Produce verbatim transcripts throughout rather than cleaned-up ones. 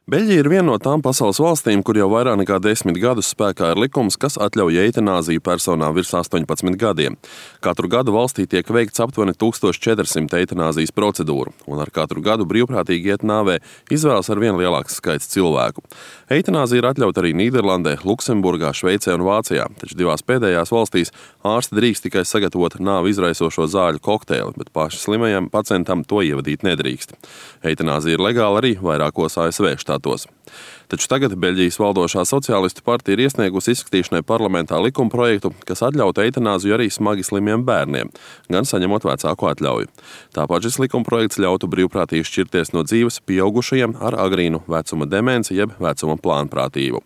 Beļģija ir viena no tām pasaules valstīm, kur jau vairāk nekā desmit gadus spēkā ir likums, kas atļauj eitanāziju personām virs astoņpadsmit gadiem. Katru gadu valstī tiek veikts aptuveni tūkstoš četri simti eitanāzijas procedūru, un ar katru gadu brīvprātīgi iet nāvē izvēlas ar vien lielāks skaits cilvēku. Eitanāzija ir atļauta arī Nīderlandē, Luksemburgā, Šveicē un Vācijā, taču divās pēdējās valstīs ārsti drīkst tikai sagatavot nāvi izraisošo zāļu kokteili, bet paši slimajam pacientam to ievadīt nedrīkst. Eitanāzija ir legāla arī vairākos A S V štātos. Taču tagad Beļģijas valdošā sociālistu partija ir iesniegusi izskatīšanai parlamentā likumprojektu, kas atļautu eitanāziju arī smagi slimiem bērniem, gan saņemot vecāku atļauju. Tāpat šis likumprojekts ļautu brīvprātīgi šķirties no dzīves pieaugušajiem ar agrīnu vecuma demenci jeb vecuma plānprātību.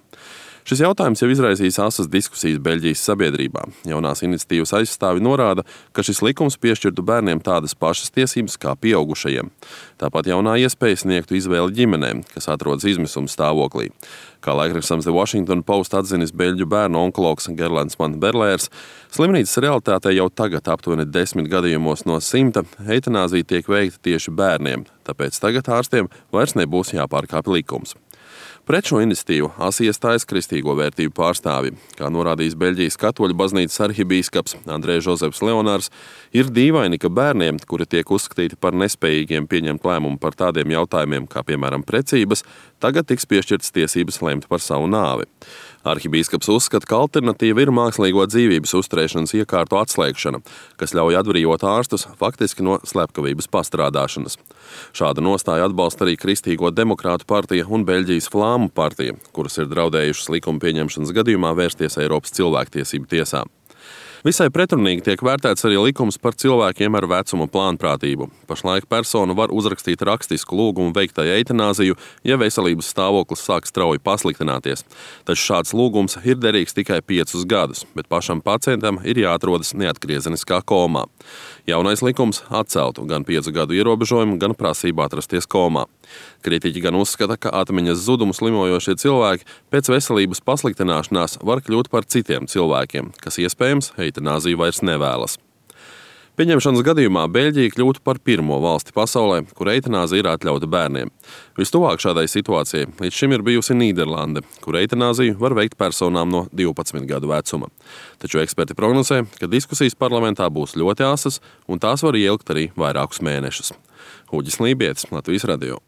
Šis jautājums jau izraisīs asas diskusijas Beļģijas sabiedrībā. Jaunās iniciatīvas aizstāvi norāda, ka šis likums piešķirtu bērniem tādas pašas tiesības kā pieaugušajiem. Tāpat jaunā iespēja sniegtu izvēli ģimenēm, kas atrodas izmisuma stāvoklī. Kā laikrakstams The Washington Post atzinis beļģu bērnu onkologs Gerlands van Berlērs, slimnīcas realitātē jau tagad aptuveni desmit gadījumos no simta eitanāzija tiek veikta tieši bērniem, tāpēc tagad ārstiem vairs nebūs jāpārkāpj likums. Pret šo iniciatīvu asi iestājas kristīgo vērtību pārstāvji. Kā norādījis Beļģijas katoļu baznīcas arhibīskaps Andrē Žozefs Leonārs, ir dīvaini, ka bērniem, kuri tiek uzskatīti par nespējīgiem pieņemt lēmumu par tādiem jautājumiem kā, piemēram, precības, tagad tiks piešķirtas tiesības lemt par savu nāvi. Arhibīskaps uzskata, ka alternatīva ir mākslīgo dzīvības uzturēšanas iekārtu atslēgšana, kas ļauj atbrīvot ārstus faktiski no slepkavības pastrādāšanas. Šādu nostāju atbalsta arī Kristīgo demokrātu partija un Beļģijas Flāmu partija, kuras ir draudējušas likuma pieņemšanas gadījumā vērsties Eiropas cilvēktiesību tiesā. Visai pretrunīgi tiek vērtēts arī likums par cilvēkiem ar vecuma plānprātību. Pašlaik persona var uzrakstīt rakstisku lūgumu veiktai eitanāziju, ja veselības stāvoklis sāk strauji pasliktināties. Taču šāds lūgums ir derīgs tikai piecus gadus, bet pašam pacientam ir jāatrodas neatgriezeniskā komā. Jaunais likums atceltu gan piecu gadu ierobežojumu, gan prasību atrasties komā. Kritiķi gan uzskata, ka atmiņas zudumu slimojošie cilvēki pēc veselības pasliktināšanās var kļūt par citiem cilvēkiem, kas iespējams eitanāziju vairs nevēlas. Pieņemšanas gadījumā Beļģija kļūtu par pirmo valsti pasaulē, kur eitanāzija ir atļauta bērniem. Vistuvāk šādai situācijai līdz šim ir bijusi Nīderlande, kur eitanāziju var veikt personām no divpadsmit gadu vecuma. Taču eksperti prognozē, ka diskusijas parlamentā būs ļoti asas un tās var ieilgt arī vairākus mēnešus. Uģis Lībietis, Latvijas radio.